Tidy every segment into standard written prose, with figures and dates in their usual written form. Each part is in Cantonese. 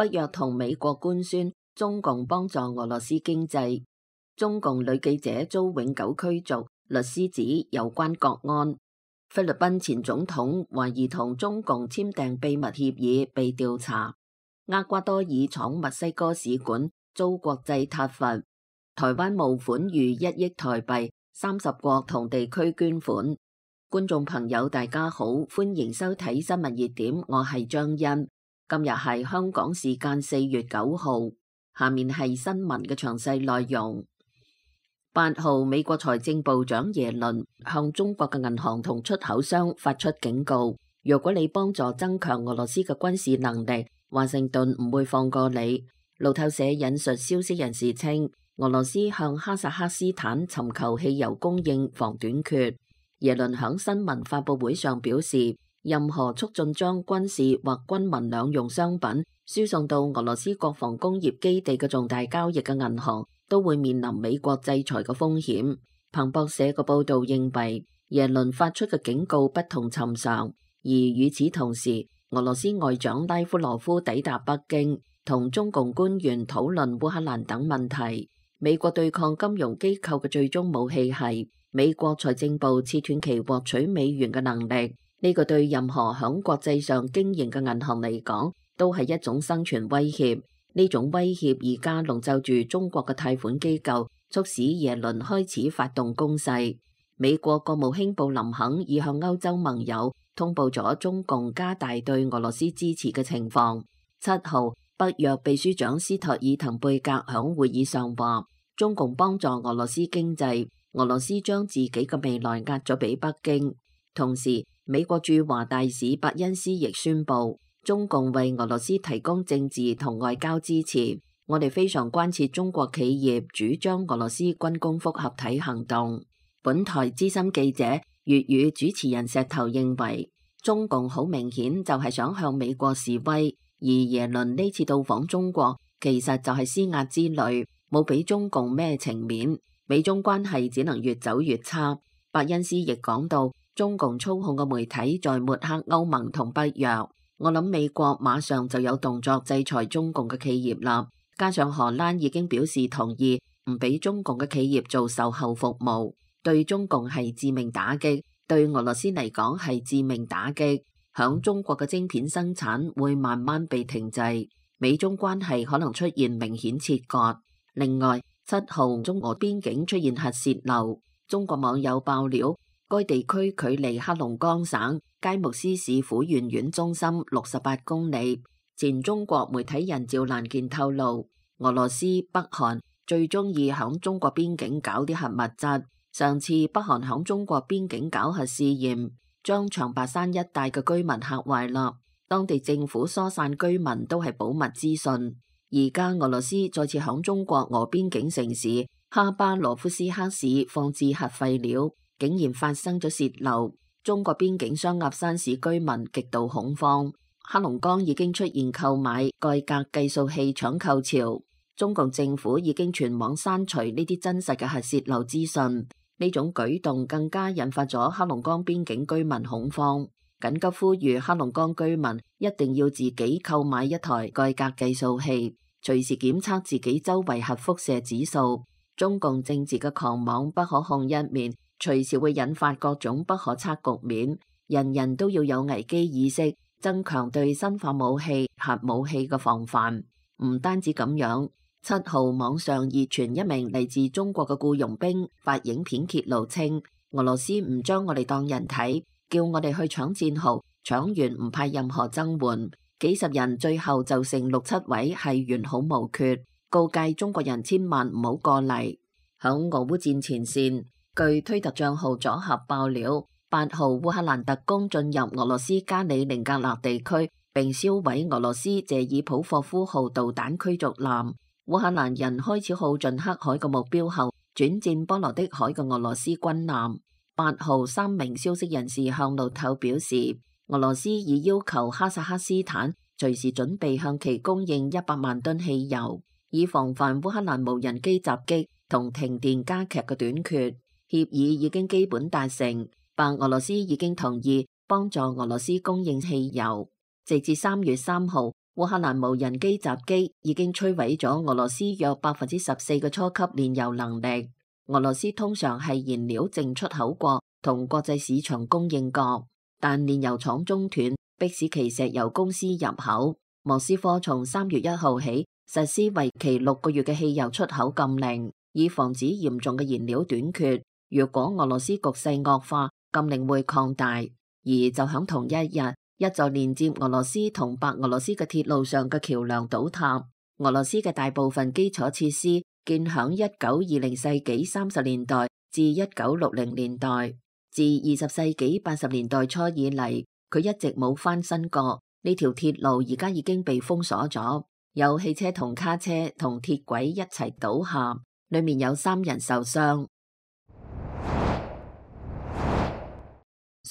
北約同美國官宣中共幫助俄羅斯經濟。中共女記者遭永久驅逐，律師指有關國安。菲律賓前總統懷疑同中共簽訂秘密協議被調查。厄瓜多爾闖墨西哥使館遭國際撻伐。台灣募款逾1億台幣，30國同地區捐款。觀眾朋友大家好，歡迎收睇新聞熱點，我係張欣。今日係香港時間4月9號，下面係新聞嘅詳細內容。8號，美國財政部長耶倫向中國嘅銀行同出口商發出警告，如果你幫助增強俄羅斯嘅軍事能力，華盛頓唔會放過你。路透社引述消息人士稱，俄羅斯向哈薩克斯坦尋求汽油供應防短缺。耶倫響新聞發佈會上表示，任何促進將軍事或軍民兩用商品輸送到俄羅斯國防工業基地嘅重大交易嘅銀行都會面臨美國制裁嘅風險。彭博社嘅報道認為，耶倫發出嘅警告不同尋常，而與此同時，俄羅斯外長拉夫羅夫抵達北京，同中共官員討論烏克蘭等問題。美國對抗金融機構嘅最終武器係美國財政部切斷其獲取美元嘅能力，呢個對任何響國際上經營嘅銀行嚟講，都係一種生存威脅。呢種威脅而家籠罩住中國嘅貸款機構，促使耶倫開始發動攻勢。美國國務卿布林肯已向歐洲盟友通報咗中共加大對俄羅斯支持嘅情況。7號，北約秘書長斯托爾滕貝格響會議上話，中共幫助俄羅斯經濟，俄羅斯將自己嘅未來押咗俾北京。同時，美國駐華大使伯恩斯亦宣布，中共為俄羅斯提供政治同外交支持。我哋非常關切中國企業主張俄羅斯軍工複合體行動。本台資深記者、粵語主持人石頭認為，中共好明顯就係想向美國示威，而耶倫呢次到訪中國，其實就係施壓之旅，冇俾中共咩情面。美中關係只能越走越差。伯恩斯亦講到，中共操控嘅媒體在抹黑歐盟同北約。我諗美國馬上就有動作制裁中共嘅企業啦。加上荷蘭已經表示同意唔俾中共嘅企業做售後服務，對中共係致命打擊，對俄羅斯嚟講係致命打擊。響中國嘅晶片生產會慢慢被停滯，美中關係可能出現明顯切割。另外，7號中俄邊境出現核洩漏，中國網友爆料，該地區距離黑龍江省佳木斯市撫縣縣中心68公里。前中國媒體人趙蘭健透露，俄羅斯、北韓最中意響中國邊境搞啲核物質。上次北韓響中國邊境搞核試驗，將長白山一帶嘅居民嚇壞啦。當地政府疏散居民都係保密資訊。而家俄羅斯再次響中國俄邊境城市哈巴羅夫斯克市放置核廢料，竟然發生咗洩漏。中國邊境雙鴨山市居民極度恐慌。黑龍江已經出現購買蓋格計數器搶購潮。中共政府已經全網刪除呢啲真實嘅核洩漏資訊。呢種舉動更加引發咗黑龍江邊境居民恐慌，緊急呼籲黑龍江居民一定要自己購買一台蓋格計數器，隨時檢測自己周圍核輻射指數。中共政治嘅狂妄不可控一面，隨時會引發各種不可測局面。人人都要有危機意識，增強對生化武器、核武器嘅防範。唔單止咁樣，7號網上熱傳一名嚟自中國嘅僱傭兵發影片揭露稱，俄羅斯唔將我哋當人睇，叫我哋去搶戰壕，搶完唔派任何增援。幾十人最後就剩6-7位係完好無缺，告誡中國人千萬唔好過嚟。響俄烏戰前線，據推特賬號左合爆料，8號烏克蘭特工進入俄羅斯加里寧格勒地區，並燒毀俄羅斯謝爾普霍夫號導彈驅逐艦。烏克蘭人開始耗盡黑海嘅目標後，轉戰波羅的海嘅俄羅斯軍艦。8號3名消息人士向路透表示，俄羅斯已要求哈薩克斯坦隨時準備向其供應100萬噸汽油，以防範烏克蘭無人機襲擊同停電加劇嘅短缺。協議已經基本達成，白俄羅斯已經同意幫助俄羅斯供應汽油。直至3月3號，烏克蘭無人機襲擊已經摧毀咗俄羅斯約14%嘅初級煉油能力。俄羅斯通常係燃料淨出口國同國際市場供應國，但煉油廠中斷，迫使其石油公司入口。莫斯科從3月1號起實施為期6個月嘅汽油出口禁令，以防止嚴重嘅燃料短缺。如果俄羅斯局勢惡化，禁令會擴大。而就喺同一日，一座連接俄羅斯同白俄羅斯嘅鐵路上嘅橋樑倒塌。俄羅斯嘅大部分基礎設施建響1920世紀30年代至1960年代，自20世紀80年代初以嚟，佢一直冇翻新過。呢條鐵路而家已經被封鎖咗，有汽車同卡車同鐵軌一齊倒下，裏面有3人受傷。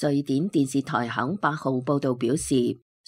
瑞典電視台響8號報道表示，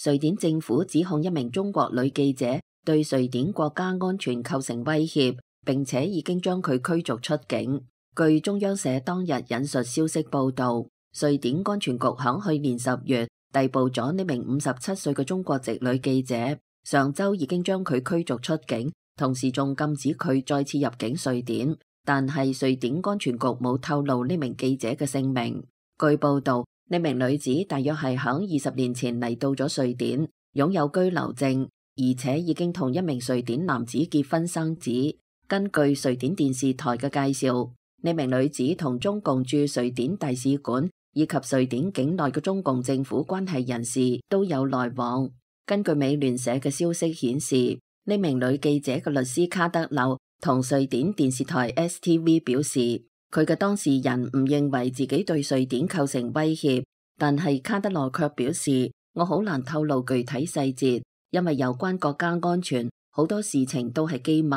瑞典政府指控一名中國女記者對瑞典國家安全構成威脅，並且已經將佢驅逐出境。據中央社當日引述消息報道，瑞典安全局響去年10月逮捕咗呢名57歲嘅中國籍女記者，上周已經將佢驅逐出境，同時仲禁止佢再次入境瑞典。但係瑞典安全局冇透露呢名記者嘅姓名。據報道，呢名女子大約係響20年前嚟到咗瑞典，擁有居留證，而且已經同一名瑞典男子結婚生子。根據瑞典電視台嘅介紹，呢名女子同中共駐瑞典大使館以及瑞典境內嘅中共政府關係人士都有來往。根據美聯社嘅消息顯示，呢名女記者嘅律師卡德勒同瑞典電視台 STV 表示，佢嘅當事人唔認為自己對瑞典構成威脅，但係卡德勒卻表示，我好難透露具體細節，因為有關國家安全，好多事情都係機密。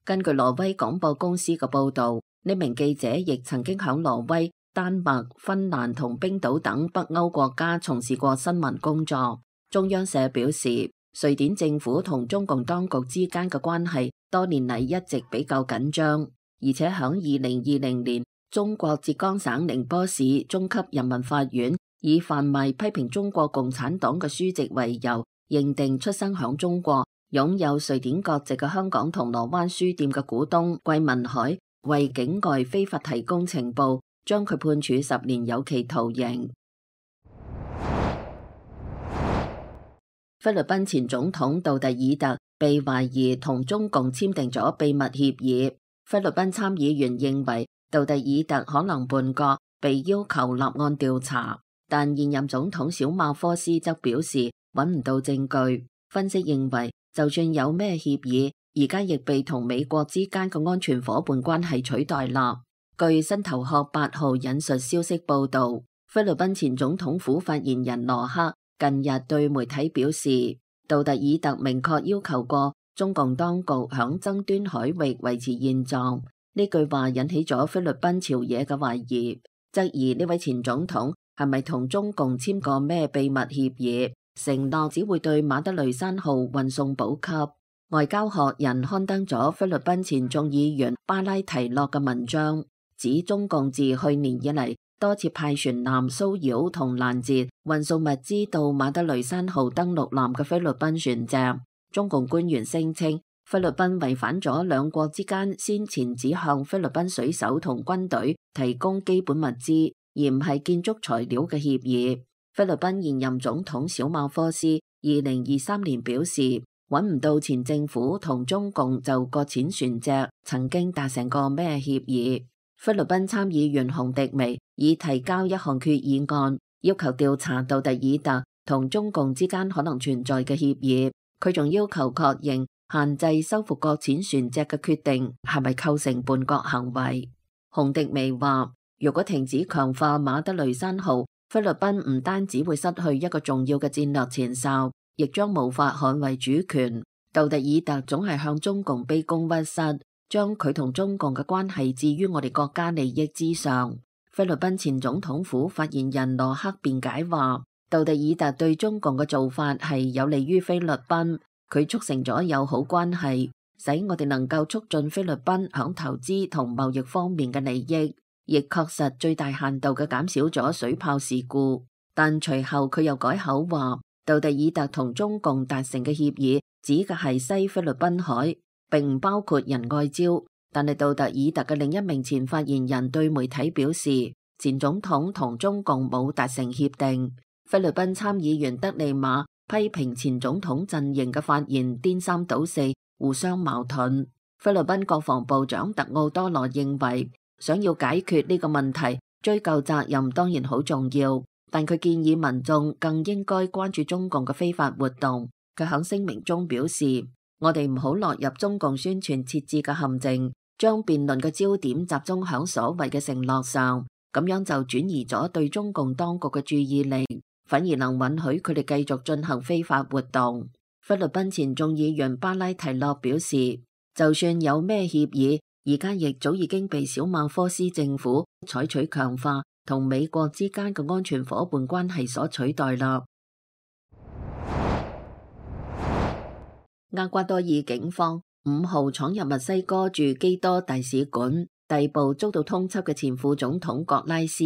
根據挪威廣播公司嘅報道，呢名記者亦曾經響挪威、丹麥、芬蘭同冰島等北歐國家從事過新聞工作。中央社表示，瑞典政府同中共當局之間嘅關係多年嚟一直比較緊張，而且響2020年，中國浙江省寧波市中級人民法院以販賣批評中國共產黨嘅書籍為由，認定出生響中國、擁有瑞典國籍嘅香港銅鑼灣書店嘅股東桂民海為境外非法提供情報，將佢判處10年有期徒刑。菲律賓前總統杜特爾特被懷疑同中共簽訂咗秘密協議。菲律賓參議員認為杜特爾特可能叛國，被要求立案調查，但現任總統小馬科斯則表示揾唔到證據。分析認為，就算有咩協議，而家亦被同美國之間嘅安全夥伴關係取代啦。據新頭殼8號引述消息報道，菲律賓前總統府發言人羅克近日對媒體表示，杜特爾特明確要求過中共當局響爭端海域維持現狀。呢句話引起咗菲律賓朝野嘅懷疑，質疑呢位前總統係咪同中共簽過咩秘密協議，承諾只會對馬德雷山號運送補給。外交學人刊登咗菲律賓前眾議員巴拉提諾嘅文章，指中共自去年以嚟多次派船艦騷擾同攔截運送物資到馬德雷山號登陸艦嘅菲律賓船隻。中共官員聲稱，菲律賓違反咗兩國之間先前只向菲律賓水手同軍隊提供基本物資，而唔係建築材料嘅協議。菲律賓現任總統小馬科斯2023年表示，揾唔到前政府同中共就擱淺船隻曾經達成過咩協議。菲律賓參議員洪迪微已提交一項決議案，要求調查杜特爾特同中共之間可能存在嘅協議。佢仲要求確認限制收復擱淺船隻嘅決定係咪構成叛國行為。洪迪微話，如果停止強化馬德雷山號，菲律賓唔單止會失去一個重要嘅戰略前哨，亦將無法捍衛主權。杜特爾特總係向中共卑躬屈膝，將佢同中共嘅關係置於我哋國家利益之上。菲律賓前總統府發言人羅克辯解話，杜特爾特對中共嘅做法係有利於菲律賓，佢促成咗友好關係，使我哋能夠促進菲律賓響投資同貿易方面嘅利益，亦確實最大限度嘅減少咗水炮事故。但隨後佢又改口話，杜特爾特同中共達成嘅協議指嘅係西菲律賓海，並唔包括仁愛礁。但係杜特爾特嘅另一名前發言人對媒體表示，前總統同中共冇達成協定。菲律賓參議員德利馬批評前總統陣營嘅發言顛三倒四，互相矛盾。菲律賓國防部長特奧多羅認為，想要解決呢個問題，追究責任當然好重要，但佢建議民眾更應該關注中共嘅非法活動。佢喺聲明中表示，我哋唔好落入中共宣傳設置嘅陷阱，將辯論嘅焦點集中響所謂嘅承諾上，咁樣就轉移咗對中共當局嘅注意力，反而能允許佢哋繼續進行非法活動。菲律賓前眾議員巴拉提諾表示，就算有咩協議，而家亦早已經被小馬科斯政府採取強化同美國之間嘅安全夥伴關係所取代啦。厄瓜多爾警方5號闖入墨西哥駐基多大使館，逮捕遭到通緝嘅前副總統葛拉斯。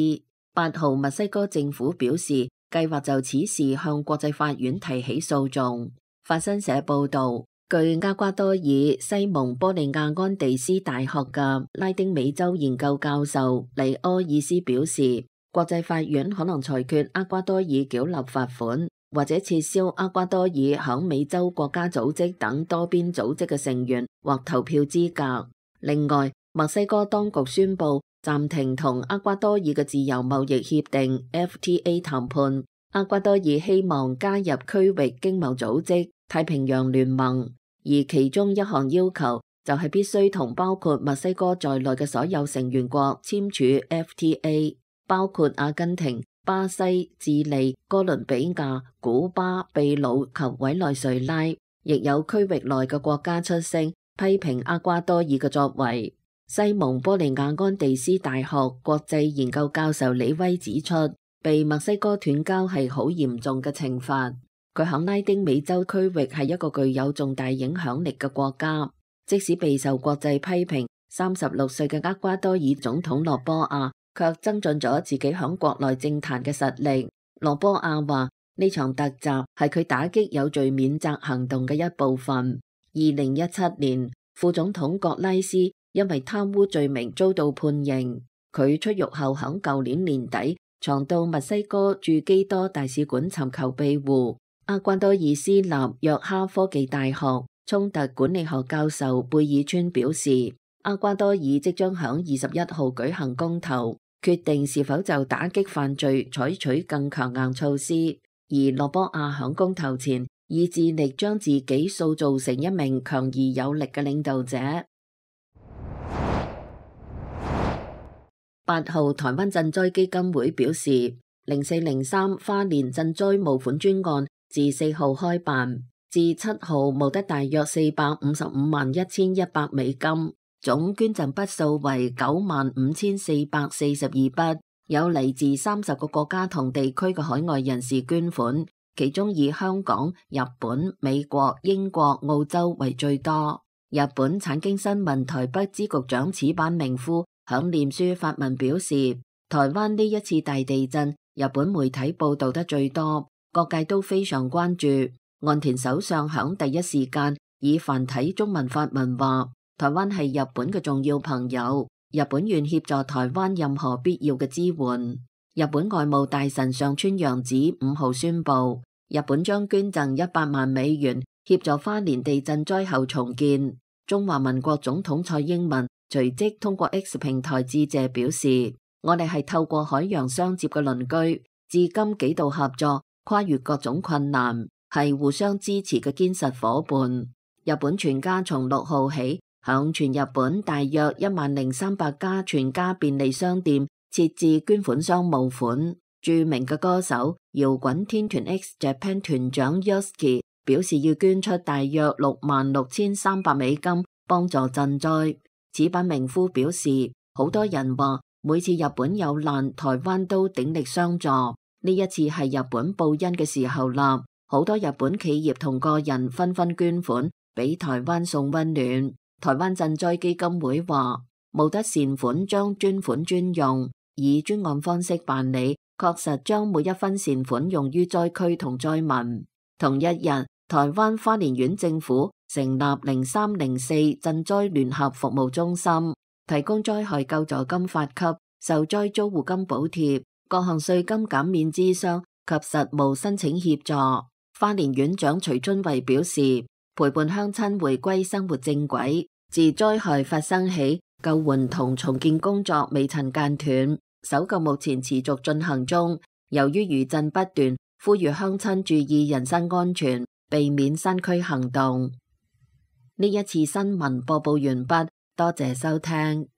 8號墨西哥政府表示，計劃就此事向國際法院提起訴訟。法新社報道，據厄瓜多爾西蒙波利亞安地斯大學嘅拉丁美洲研究教授黎柯爾斯表示，國際法院可能裁決厄瓜多爾繳納罰款，或者撤銷厄瓜多爾響美洲國家組織等多邊組織嘅成員或投票資格。另外，墨西哥當局宣布暫停同厄瓜多爾嘅自由貿易協定 FTA 談判。厄瓜多爾希望加入區域經貿組織太平洋聯盟，而其中一項要求就係必須同包括墨西哥在內嘅所有成員國簽署 FTA， 包括阿根廷、巴西、智利、哥倫比亞、古巴、秘魯及委內瑞拉。亦有區域內嘅國家出聲批評厄瓜多爾嘅作為。西蒙波利亞安地斯大學國際研究教授李威指出，被墨西哥斷交係好嚴重嘅懲罰。佢響拉丁美洲區域係一個具有重大影響力嘅國家，即使備受國際批評，36歲嘅厄瓜多爾總統羅波亞卻增進咗自己響國內政壇嘅實力。羅波亞話，呢場突襲係佢打擊有罪免責行動嘅一部分。2017年，副總統葛拉斯因為貪污罪名遭到判刑，佢出獄後響舊年年底藏到墨西哥駐基多大使館尋求庇護。厄瓜多爾私立約哈科技大學衝突管理學教授貝爾川表示，厄瓜多爾即將響21號舉行公投，決定是否就打擊犯罪採取更強硬措施。而羅波亞響公投前已致力將自己塑造成一名強而有力嘅領導者。8號台灣賑災基金會表示，0403花蓮賑災募款專案自4號開辦，至7號募得大約4551100美金，總捐贈筆數為95442筆，有嚟自30個國家同地區嘅海外人士捐款，其中以香港、日本、美國、英國、澳洲為最多。日本產經新聞台北支局長矢板明夫響臉書發文表示，台灣呢一次大地震，日本媒體報道得最多，各界都非常關注。岸田首相響第一時間以繁體中文發文話，台灣係日本嘅重要朋友，日本願協助台灣任何必要嘅支援。日本外務大臣上川陽子5號宣布，日本將捐贈100萬美元協助花蓮地震災後重建。中華民國總統蔡英文隨即通過 X 平台致謝表示，我哋係透過海洋相接嘅鄰居，至今幾度合作，跨越各種困難，係互相支持嘅堅實夥伴。日本全家從6號起向全日本大約10300家全家便利商店設置捐款箱募款。著名嘅歌手搖滾天團 X Japan 團長 Yoshiki 表示要捐出大約66300美金幫助賑災。矢板明夫表示，好多人話每次日本有難，台灣都鼎力相助。呢一次係日本報恩嘅時候啦，好多日本企業同個人紛紛捐款俾台灣送溫暖。台灣賑災基金會話，募得善款將專款專用，以專案方式辦理，確實將每一分善款用於災區同災民。同一日，台灣花蓮縣政府成立0304賑災聯合服務中心，提供災害救助金發給、受災租戶金補貼、各項稅金減免諮商及實務申請協助。花蓮縣長徐春惠表示，陪伴鄉親回歸生活正軌，自災害發生起，救援同重建工作未曾間斷，搜救目前持續進行中。由於餘震不斷，呼籲鄉親注意人身安全，避免山區行動。呢一次新聞播報完畢，多謝收聽。